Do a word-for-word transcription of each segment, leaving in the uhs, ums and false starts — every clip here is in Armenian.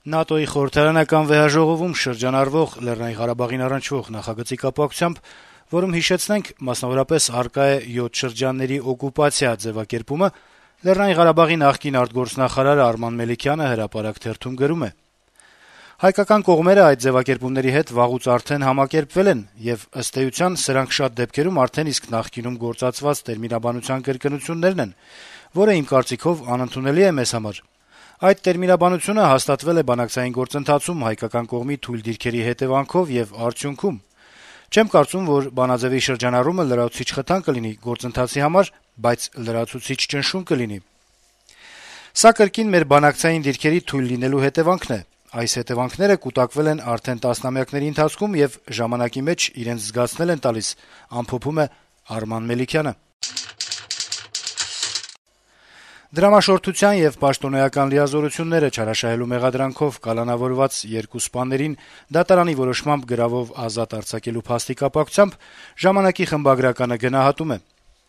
ՆԱՏՕ-ի խորհրդարանական վեհաժողովում շրջանառվող Լեռնային Ղարաբաղին առնչվող նախագծի կապակցությամբ, որում, հիշեցնենք, մասնավորապես առկա է յոթ շրջանների օկուպացիա ձեւակերպումը, Լեռնային Ղարաբաղի նախկին արտգործնախարար Արման Մելիքյանը հրապարակ թերթում գրում է. - «Հայկական կողմերը այդ ձեւակերպումների հետ վաղուց արդեն համակերպվել են, եւ ըստ էության սրանք շատ դեպքերում արդեն իսկ նախկինում գործածված տերմինաբանության կրկնություններն են, որը իմ կարծիքով անընդունելի է մեզ համար։ Այդ տերմինաբանությունը հաստատվել է բանակցային գործընթացում հայկական կողմի թույլ դիրքերի հետեւանքով եւ արդյունքում։ Չեմ կարծում, որ բանաձեւի շրջանառումը լրացուցիչ խթան կլինի գործընթացի համար, բայց լրացուցիչ ճնշում կլինի։ Սա կրկին մեր բանակցային դիրքերի թույլ լինելու հետեւանքն է։ Այս հետեւանքները կուտակվել են արդեն տասնամյակների ընթացքում եւ ժամանակի մեջ իրենց զգացնել են տալիս», ամփոփում է Արման Մելիքյանը։ Դրամաշորթության եւ պաշտոնեական լիազորությունները չարաշահելու մեղադրանքով կալանավորված երկու սպաներին դատարանի որոշմամբ գրավով ազատ արձակելու փաստի կապակցությամբ «Ժամանակ»-ի խմբագրականը գնահատում է.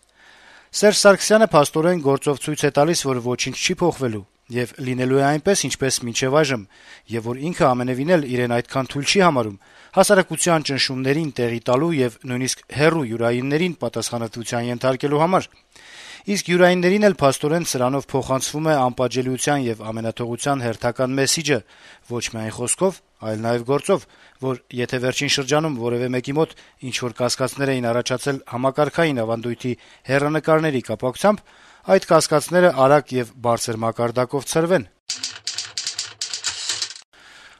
- «Սերժ Սարգսյանը փաստորեն գործով ցույց է տալիս, որ ոչինչ չի փոխվելու եւ լինելու է այնպես, ինչպես մինչեւ այժմ, եւ որ ինքը ամենեւին էլ իրեն այդքան թույլ չի համարում հասարակության ճնշումներին տեղի տալու եւ նույնիսկ հեռու յուրայիններին պատասխանատվության ենթարկելու համար։ Իսկ յուրայիններին էլ փաստորեն սրանով փոխանցվում է անպատժելիության եւ ամենաթողության հերթական մեսիջը, ոչ միայն խոսքով, այլ նաեւ գործով, որ եթե վերջին շրջանում որեւէ մեկի մոտ ինչ-որ կասկածներ էին առաջացել համակարգային ավանդույթի հեռանկարների կապակցությամբ, այդ կասկածները արագ եւ բարձր մակարդակով ցրվեն»։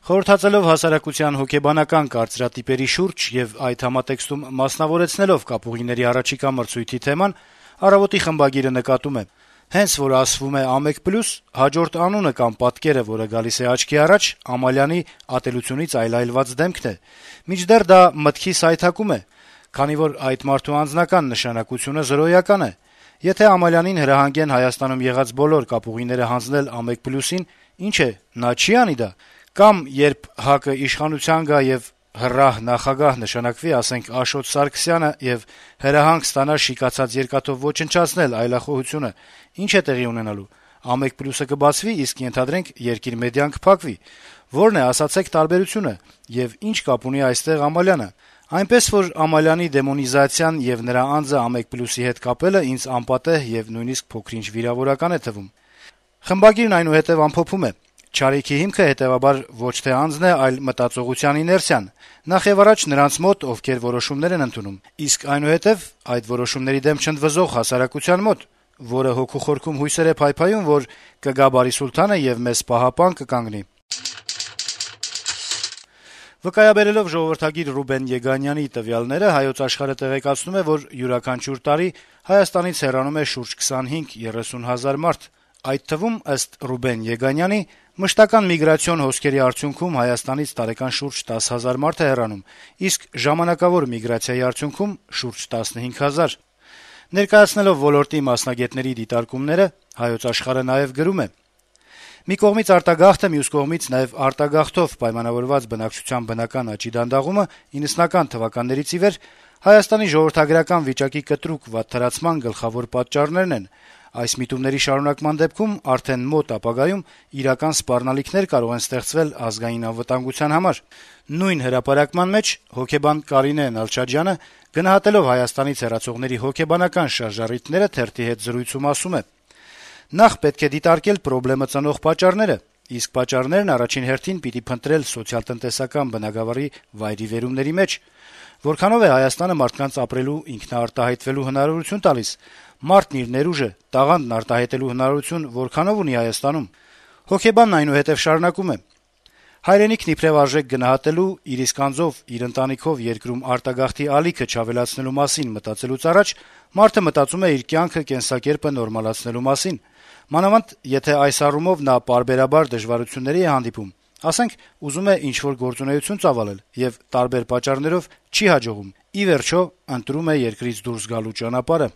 Խորհրդածելով հասարակության հոգեբանական կարծրատիպերի շուրջ եւ այդ համատեքստում մասնավորեցնելով կապուղիների առաջիկա մրցույթի թեման, «Առավոտ»-ի խմբագիրը նկատում է. - «Հենց որ ասվում է «Ամեկ պլյուս», հաջորդ անունը կամ պատկերը, որը գալիս է աչքի առաջ, Ամալյանի ատելությունից այլայլված դեմքն է։ Մինչդեռ դա մտքի սայթակում է, քանի որ այդ մարդու անձնական նշանակությունը զրոյական է։ Եթե Ամալյանին հրահանգեն Հայաստանում եղած բոլոր կապուղիները հանձնել «Ամեկ պլյուսին», ինչ է, նա չի անի դա։ Կամ երբ ՀԱԿ-ը իշխանության գա եւ հռահ նախագահ նշանակվի, ասենք, Աշոտ Սարգսյանը եւ հրահանգ ստանա շիկացած երկաթով ոչնչացնել այլախոհությունը, ի՞նչ է տեղի ունենալու։ «Ամեկ պլյուսը» կբացվի, իսկ ենթադրենք երկիր մեդիան կփակվի։ Ո՞րն է, ասացեք, տարբերությունը, եւ ի՞նչ կապ ունի այստեղ Ամալյանը։ Այնպես որ Ամալյանի դեմոնիզացիան եւ նրա անձը «Ամեկ պլյուսի» հետ կապելը ինձ անպատեհ եւ նույնիսկ փոքր-ինչ վիրավորական է թվում»։ Խմբագիրն այնուհետեւ ամփոփում է. - «Չարիքի հիմքը, հետեւաբար, ոչ թե անձն է, այլ մտածողության իներցիան, նախ եւ առաջ նրանց մոտ, ովքեր որոշումներ են ընդունում, իսկ այնուհետեւ այդ որոշումների դեմ չընդվզող հասարակության մոտ, որը հոգու խորքում հույսեր է փայփայում, որ կգա Բարիսուլթանը եւ մեզ պահապան կկանգնի»։ Վկայաբերելով ժողովրդագիր Ռուբեն Եգանյանի տվյալները, «Հայոց Աշխարհ»-ը տեղեկացնում է, որ յուրաքանչյուր տարի Հայաստանից հեռանում է շուրջ քսանհինգ-երեսուն հազար մարդ։ Այդ թվում, ըստ Ռուբեն Եգանյանի, մշտական միգրացիոն հոսքերի արդյունքում Հայաստանից տարեկան շուրջ տասը հազար մարդ է հեռանում, իսկ ժամանակավոր միգրացիայի արդյունքում՝ շուրջ տասնհինգ հազար։ Ներկայացնելով ոլորտի մասնագետների դիտարկումները, «Հայոց Աշխարհ»-ը նաեւ գրում է. - «Մի կողմից արտագաղթը, մյուս կողմից նաեւ արտագաղթով պայմանավորված բնակչության բնական աճի դանդաղումը իննսունական թվականներից ի վեր Հայաստանի ժողովրդագրական վիճակի կտրուկ վատթարացման գլխավոր պատճառներն են։ Այս միտումների շարունակման դեպքում արդեն մոտ ապագայում իրական սպառնալիքներ կարող են ստեղծվել ազգային անվտանգության համար»։ Նույն հրապարակման մեջ հոգեբան Կարինե Նալչաջյանը, գնահատելով Հայաստանից հեռացողների հոգեբանական շարժառիթները, թերթի հետ զրույցում ասում է. - «Նախ պետք է դիտարկել պրոբլեմը ծնող պատճառները, իսկ պատճառներն առաջին հերթին պիտի փնտրել սոցիալ-տնտեսական բնագավառի վայրիվերումների մեջ։ Որքանով է Հայաստանը մարդկանց ապրելու, ինքնաարտահայտվելու հնարավորություն տալիս։ Մարդն իր ներուժը, տաղանդն արտահայտելու հնարավորություն որքանով ունի Հայաստանում»։ Հոգեբանն այնուհետեւ շարունակում է. - «Հայրենիքն իբրեւ արժեք գնահատելու, իր իսկ անձով, իր ընտանիքով երկրում արտագաղթի ալիքը չավելացնելու մասին մտածելուց առաջ մարդը մտածում է իր կյանքը, կենսակերպը նորմալացնելու մասին։ Մանավանդ, եթե այս առումով նա պարբերաբար դժվարությունների է հանդիպում, ասենք, ուզում է ինչ-որ գործունեություն ծավալել եւ տարբեր պատճառներով չի հաջողում, ի վերջո ընտրում է երկրից դուրս գալու ճանապարհը»։